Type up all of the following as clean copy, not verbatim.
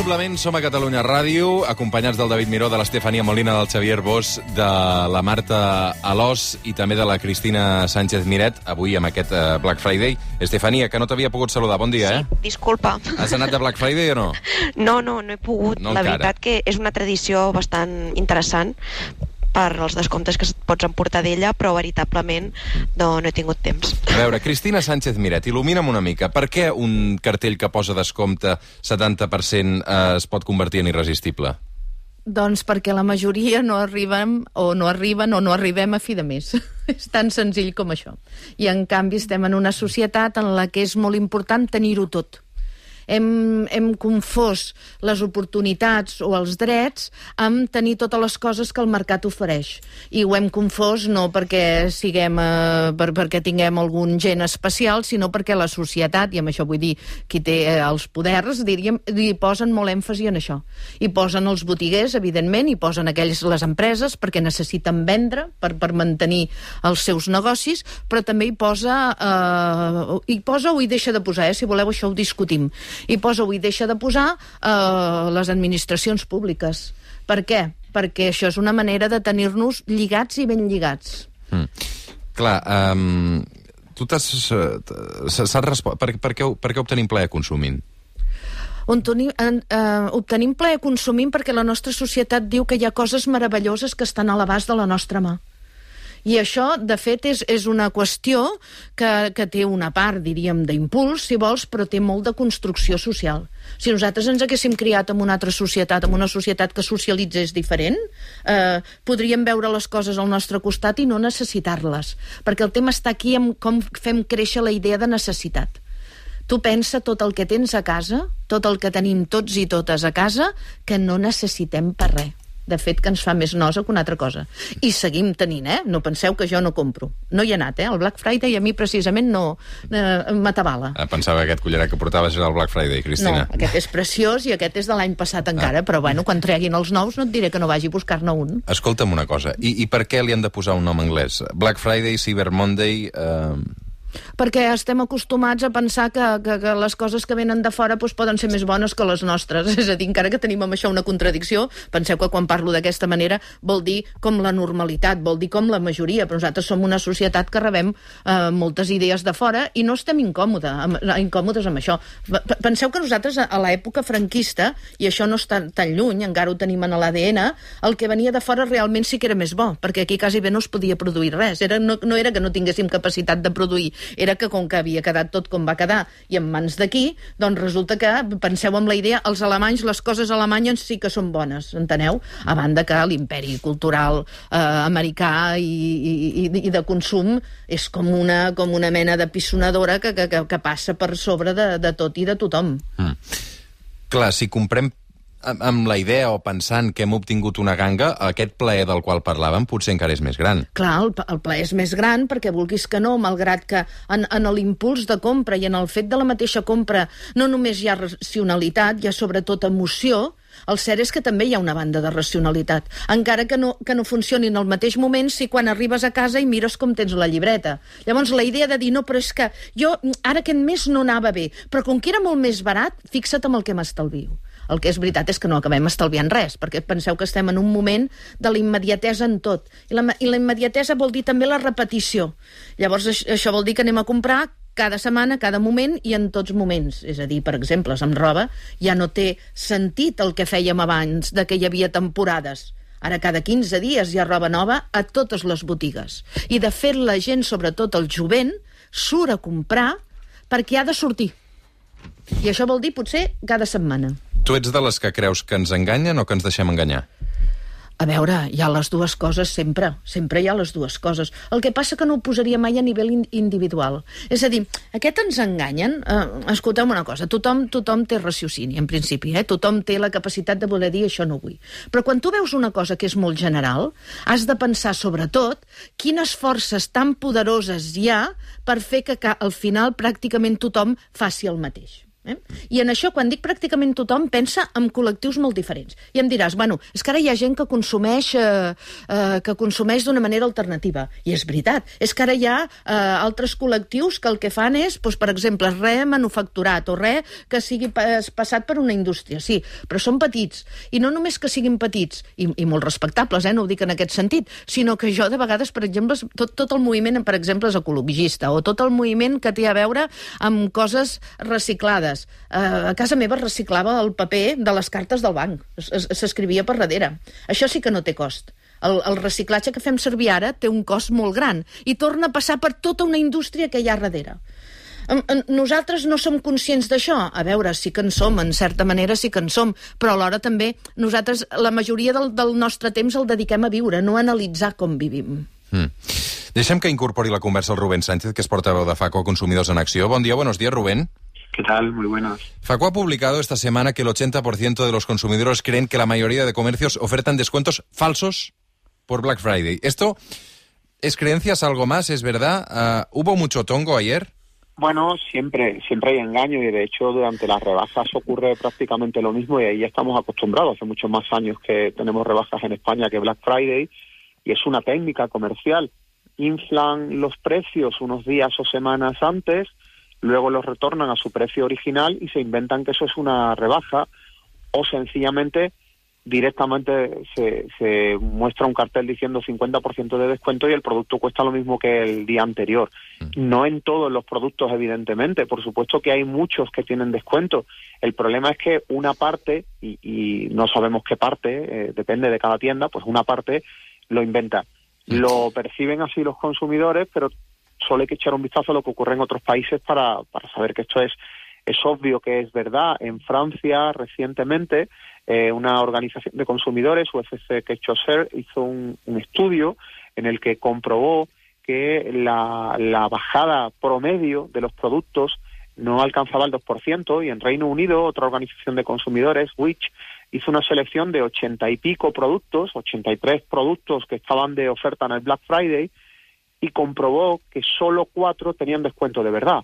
Indubtablement som a Catalunya Ràdio, acompanyats del David Miró, de l'Estefania Molina, del Xavier Bosch, de la Marta Alòs i també de la Cristina Sánchez Miret, avui amb aquest Black Friday. Estefania, que no t'havia pogut saludar, bon dia, Sí, disculpa. Has anat de Black Friday o no? No he pogut. No la encara. veritat que és una tradició bastant interessant per els descomptes que pots emportar d'ella, però veritablement no he tingut temps. A veure, Cristina Sánchez Miret, il·lumina'm una mica. Per què un cartell que posa descompte 70% es pot convertir en irresistible? Doncs perquè la majoria no arriben o no arribem a fi de mes. És tan senzill com això. I en canvi estem en una societat en la que és molt important tenir-ho tot. Hem confós les oportunitats o els drets amb tenir totes les coses que el mercat ofereix. I ho hem confós no perquè perquè tinguem algun gen especial, sinó perquè la societat, i amb això vull dir qui té els poders, diríem, hi posen molt èmfasi en això. Hi posen els botiguers, evidentment, hi posen les empreses perquè necessiten vendre per mantenir els seus negocis, però també hi posa o hi deixa de posar, si voleu això ho discutim. I posa o hi deixa de posar les administracions públiques. Per què? Perquè això és una manera de tenir-nos lligats i ben lligats. Clar, tu saps respondre... Per què obtenim plaer consumint? Obtenim plaer consumint perquè la nostra societat diu que hi ha coses meravelloses que estan a l'abast de la nostra mà. I això, de fet, és una qüestió que té una part, diríem, d'impuls, si vols, però té molt de construcció social. Si nosaltres ens haguéssim criat en una altra societat, en una societat que socialitzés diferent, podríem veure les coses al nostre costat i no necessitar-les. Perquè el tema està aquí en com fem créixer la idea de necessitat. Tu pensa tot el que tens a casa, tot el que tenim tots i totes a casa, que no necessitem per res. De fet, que ens fa més nosa que una altra cosa. I seguim tenint, No penseu que jo no compro. No hi he anat, El Black Friday a mi precisament no m'atabala. Pensava que aquest collaret que portaves era el Black Friday, Cristina. No, aquest és preciós i aquest és de l'any passat encara, però bueno, quan treguin els nous no et diré que no vagi a buscar-ne un. Escolta'm una cosa, i per què li han de posar un nom anglès? Black Friday, Cyber Monday... Perquè estem acostumats a pensar que les coses que venen de fora poden ser més bones que les nostres. És a dir, encara que tenim amb això una contradicció, penseu que quan parlo d'aquesta manera vol dir com la normalitat, vol dir com la majoria, però nosaltres som una societat que rebem moltes idees de fora i no estem incòmodes amb això. Penseu que nosaltres a l'època franquista, i això no està tan lluny, encara ho tenim en l'ADN, el que venia de fora realment sí que era més bo, perquè aquí quasi bé no es podia produir res. No era que no tinguéssim capacitat de produir, era que com que havia quedat tot com va quedar i en mans d'aquí, doncs resulta que, penseu en la idea, els alemanys, les coses alemanyes sí que són bones, enteneu? A banda que l'imperi cultural americà i de consum és com una mena de pissonadora que passa per sobre de tot i de tothom. Clar, si comprem amb la idea o pensant que hem obtingut una ganga, aquest plaer del qual parlàvem potser encara és més gran. Clar, el plaer és més gran perquè vulguis que no, malgrat que en l'impuls de compra i en el fet de la mateixa compra no només hi ha racionalitat, hi ha sobretot emoció. El cert és que també hi ha una banda de racionalitat, encara que no funcioni en el mateix moment si quan arribes a casa i mires com tens la llibreta. Llavors la idea de dir, no, però és que jo ara aquest mes no anava bé, però com que era molt més barat, fixa't amb el que m'estalvio. El que és veritat és que no acabem estalviant res, perquè penseu que estem en un moment de la immediatesa en tot. I la immediatesa vol dir també la repetició. Llavors això vol dir que anem a comprar cada setmana, cada moment i en tots moments. És a dir, per exemple, amb roba ja no té sentit el que fèiem abans, de que hi havia temporades. Ara cada 15 dies hi ha roba nova a totes les botigues. I de fet la gent, sobretot el jovent, surt a comprar perquè ha de sortir. I això vol dir potser cada setmana. Tu ets de les que creus que ens enganyen o que ens deixem enganyar? A veure, hi ha les dues coses sempre. Sempre hi ha les dues coses. El que passa que no ho posaria mai a nivell individual. És a dir, aquest ens enganyen... escolteu una cosa, tothom té raciocini, en principi, Tothom té la capacitat de voler dir això no vull. Però quan tu veus una cosa que és molt general, has de pensar sobretot quines forces tan poderoses hi ha per fer que al final pràcticament tothom faci el mateix. I en això, quan dic pràcticament tothom, pensa en col·lectius molt diferents. I em diràs, bueno, és que ara hi ha gent que consumeix d'una manera alternativa. I és veritat. És que ara hi ha altres col·lectius que el que fan és, doncs, per exemple, res manufacturat o res que sigui passat per una indústria. Sí, però són petits. I no només que siguin petits, i molt respectables, no ho dic en aquest sentit, sinó que jo, de vegades, per exemple, tot el moviment, per exemple, és ecologista, o tot el moviment que té a veure amb coses reciclades. A casa meva es reciclava el paper de les cartes del banc. S'escrivia per darrere. Això sí que no té cost. El reciclatge que fem servir ara té un cost molt gran i torna a passar per tota una indústria que hi ha darrere. Nosaltres no som conscients d'això? A veure, sí que en som, en certa manera sí que en som, però alhora també nosaltres la majoria del nostre temps el dediquem a viure, no a analitzar com vivim. Deixem que incorpori la conversa el Rubén Sánchez, que es portaveu de FACO Consumidors en Acció. Bon dia, buenos días, Rubén. ¿Qué tal? Muy buenas. FACO ha publicado esta semana que el 80% de los consumidores creen que la mayoría de comercios ofertan descuentos falsos por Black Friday. ¿Esto es creencias, algo más? ¿Es verdad? ¿Hubo mucho tongo ayer? Bueno, siempre hay engaño y de hecho durante las rebajas ocurre prácticamente lo mismo y ahí ya estamos acostumbrados. Hace muchos más años que tenemos rebajas en España que Black Friday y es una técnica comercial. Inflan los precios unos días o semanas antes, luego los retornan a su precio original y se inventan que eso es una rebaja o sencillamente directamente se muestra un cartel diciendo 50% de descuento y el producto cuesta lo mismo que el día anterior. No en todos los productos, evidentemente. Por supuesto que hay muchos que tienen descuento. El problema es que una parte, y no sabemos qué parte, depende de cada tienda, pues una parte lo inventa. Lo perciben así los consumidores, pero solo hay que echar un vistazo a lo que ocurre en otros países para saber que esto es obvio que es verdad. En Francia, recientemente, una organización de consumidores, UFC Quechoser, hizo un estudio en el que comprobó que la bajada promedio de los productos no alcanzaba el 2%, y en Reino Unido, otra organización de consumidores, Which, hizo una selección de 80 y pico productos, 83 productos que estaban de oferta en el Black Friday, y comprobó que solo 4 tenían descuento de verdad.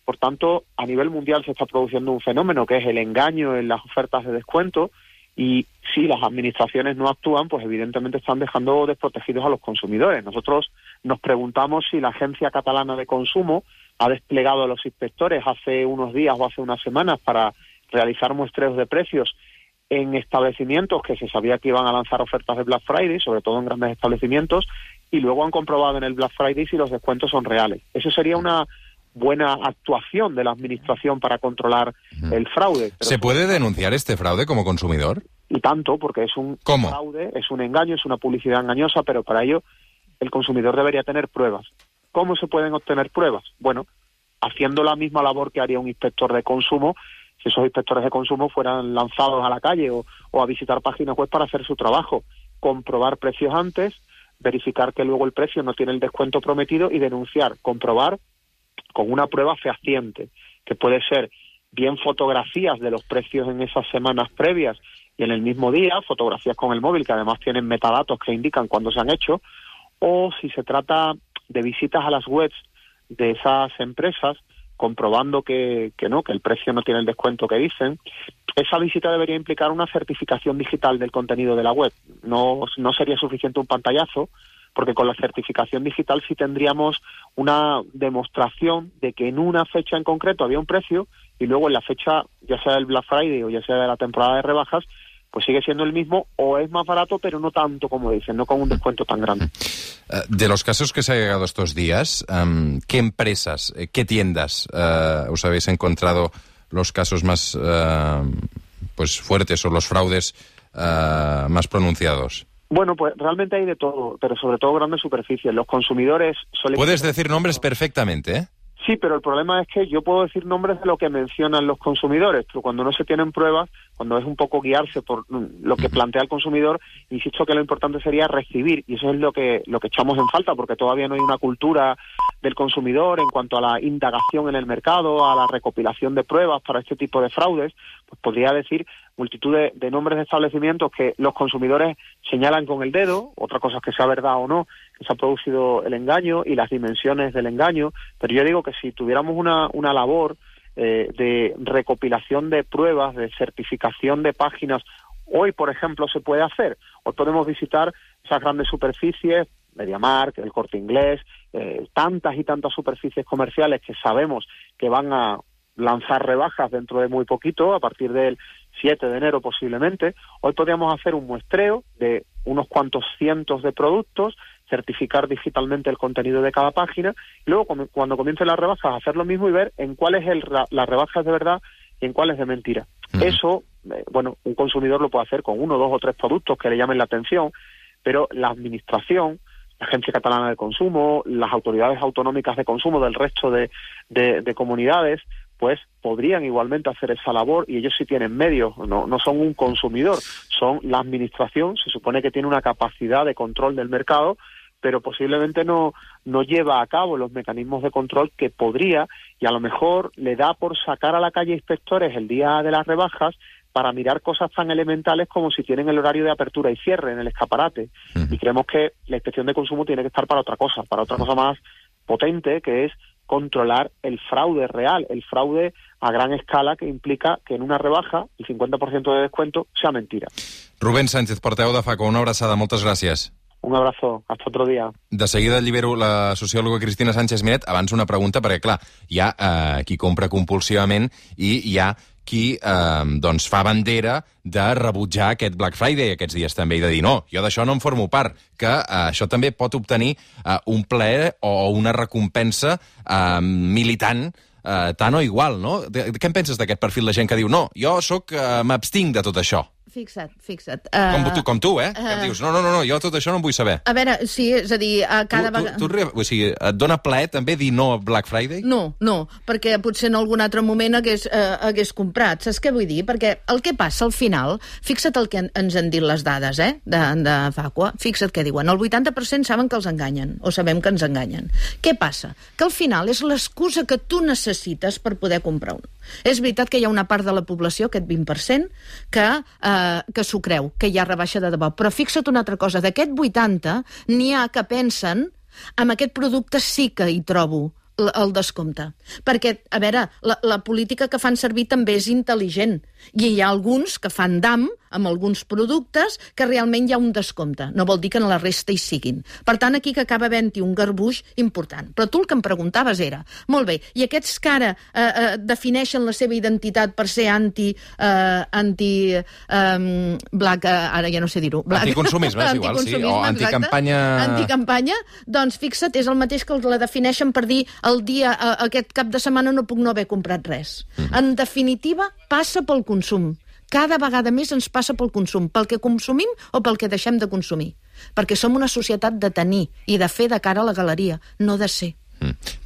Por tanto, a nivel mundial se está produciendo un fenómeno que es el engaño en las ofertas de descuento, y si las administraciones no actúan, pues evidentemente están dejando desprotegidos a los consumidores. Nosotros nos preguntamos si la Agencia Catalana de Consumo ha desplegado a los inspectores hace unos días o hace unas semanas para realizar muestreos de precios en establecimientos que se sabía que iban a lanzar ofertas de Black Friday, sobre todo en grandes establecimientos, y luego han comprobado en el Black Friday si los descuentos son reales. Eso sería una buena actuación de la administración para controlar el fraude. Pero ¿se puede denunciar este fraude como consumidor? Y tanto, porque es un fraude, es un engaño, es una publicidad engañosa, pero para ello el consumidor debería tener pruebas. ¿Cómo se pueden obtener pruebas? Bueno, haciendo la misma labor que haría un inspector de consumo, si esos inspectores de consumo fueran lanzados a la calle o a visitar páginas web para hacer su trabajo, comprobar precios antes, verificar que luego el precio no tiene el descuento prometido y denunciar, comprobar con una prueba fehaciente, que puede ser bien fotografías de los precios en esas semanas previas y en el mismo día, fotografías con el móvil que además tienen metadatos que indican cuándo se han hecho, o si se trata de visitas a las webs de esas empresas comprobando que el precio no tiene el descuento que dicen, esa visita debería implicar una certificación digital del contenido de la web. No sería suficiente un pantallazo, porque con la certificación digital sí tendríamos una demostración de que en una fecha en concreto había un precio y luego en la fecha, ya sea del Black Friday o ya sea de la temporada de rebajas, pues sigue siendo el mismo o es más barato, pero no tanto como dicen, no con un descuento tan grande. De los casos que se ha llegado estos días, ¿qué empresas, qué tiendas os habéis encontrado los casos más pues fuertes o los fraudes más pronunciados? Bueno, pues realmente hay de todo, pero sobre todo grandes superficies. Los consumidores suelen... Puedes decir nombres perfectamente, ¿eh? Sí, pero el problema es que yo puedo decir nombres de lo que mencionan los consumidores, pero cuando no se tienen pruebas, cuando es un poco guiarse por lo que plantea el consumidor, insisto que lo importante sería recibir, y eso es lo que echamos en falta, porque todavía no hay una cultura del consumidor en cuanto a la indagación en el mercado, a la recopilación de pruebas para este tipo de fraudes. Pues podría decir multitud de nombres de establecimientos que los consumidores señalan con el dedo, otra cosa es que sea verdad o no, que se ha producido el engaño y las dimensiones del engaño, pero yo digo que si tuviéramos una labor de recopilación de pruebas, de certificación de páginas, hoy, por ejemplo, se puede hacer. Hoy podemos visitar esas grandes superficies, MediaMarkt, el Corte Inglés, tantas y tantas superficies comerciales que sabemos que van a lanzar rebajas dentro de muy poquito, a partir del 7 de enero posiblemente. Hoy podríamos hacer un muestreo de unos cuantos cientos de productos, certificar digitalmente el contenido de cada página, y luego cuando comiencen las rebajas hacer lo mismo y ver en cuáles las rebajas de verdad y en cuáles de mentira. Eso, un consumidor lo puede hacer con 1, 2 o 3 productos que le llamen la atención, pero la administración, la Agencia Catalana de Consumo, las autoridades autonómicas de consumo del resto de comunidades, pues podrían igualmente hacer esa labor, y ellos sí tienen medios, no son un consumidor, son la administración. Se supone que tiene una capacidad de control del mercado, pero posiblemente no lleva a cabo los mecanismos de control que podría, y a lo mejor le da por sacar a la calle inspectores el día de las rebajas para mirar cosas tan elementales como si tienen el horario de apertura y cierre en el escaparate. Y creemos que la inspección de consumo tiene que estar para otra cosa más potente, que es controlar el fraude real, el fraude a gran escala, que implica que en una rebaja el 50% de descuento sea mentira. Rubén Sánchez, portaveu de FACO, una abraçada, moltes gràcies. Un abrazo, hasta otro día. De seguida llibero la sociòloga Cristina Sánchez Miret. Abans una pregunta, perquè clar, hi ha qui compra compulsivament i hi ha qui fa bandera de rebutjar aquest Black Friday aquests dies també, i de dir, no, jo d'això no en formo part, que això també pot obtenir un plaer o una recompensa militant tant o igual, no? Què en penses d'aquest perfil de gent que diu, no, jo m'abstinc de tot això? Fixa't. Com tu, que em dius, no, jo tot això no en vull saber. A veure, sí, és a dir, cada vegada... O sigui, et dona plaer també dir no a Black Friday? No, perquè potser en algun altre moment hagués comprat. Saps què vull dir? Perquè el que passa al final, fixa't el que ens han dit les dades, de FACO, fixa't què diuen. El 80% saben que els enganyen, o sabem que ens enganyen. Què passa? Que al final és l'excusa que tu necessites per poder comprar un. És veritat que hi ha una part de la població, aquest 20%, que s'ho creu, que hi ha rebaixa de debò. Però fixa't una altra cosa, d'aquest 80 n'hi ha que pensen amb aquest producte sí que hi trobo el descompte. Perquè, a veure, la política que fan servir també és intel·ligent. I hi ha alguns que fan dam amb alguns productes que realment hi ha un descompte. No vol dir que en la resta hi siguin. Per tant, aquí que acaba havent-hi un garbuix important. Però tu el que em preguntaves era, molt bé, i aquests que ara defineixen la seva identitat per ser black, ara ja no sé dir-ho. Anticonsumisme, és igual, sí, o anticampanya... Anticampanya, doncs fixa't, és el mateix que la defineixen per dir el dia, aquest cap de setmana no puc no haver comprat res. En definitiva, passa pel consum. Cada vegada més ens passa pel consum, pel que consumim o pel que deixem de consumir. Perquè som una societat de tenir i de fer de cara a la galeria, no de ser.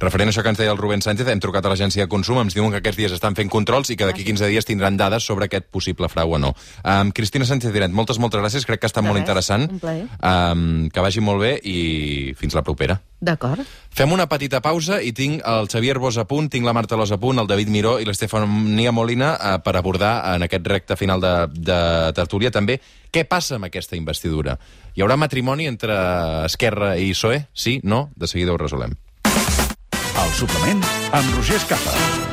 Referent a això que ens deia el Rubén Sánchez, hem trucat a l'agència de consum, ens diuen que aquests dies estan fent controls i que d'aquí 15 dies tindran dades sobre aquest possible frau o no. Cristina Sánchez Miret, moltes gràcies, crec que ha estat molt interessant. Un plaer. Que vagi molt bé i fins la propera. D'acord. Fem una petita pausa i tinc el Xavier Bosch a punt, tinc la Marta Alòs a punt, el David Miró i l'Estefania Molina per abordar en aquest recte final de tertúlia també què passa amb aquesta investidura. Hi haurà matrimoni entre Esquerra i PSOE? Sí? No? De seguida ho resolem. El suplement amb Roger Escapa.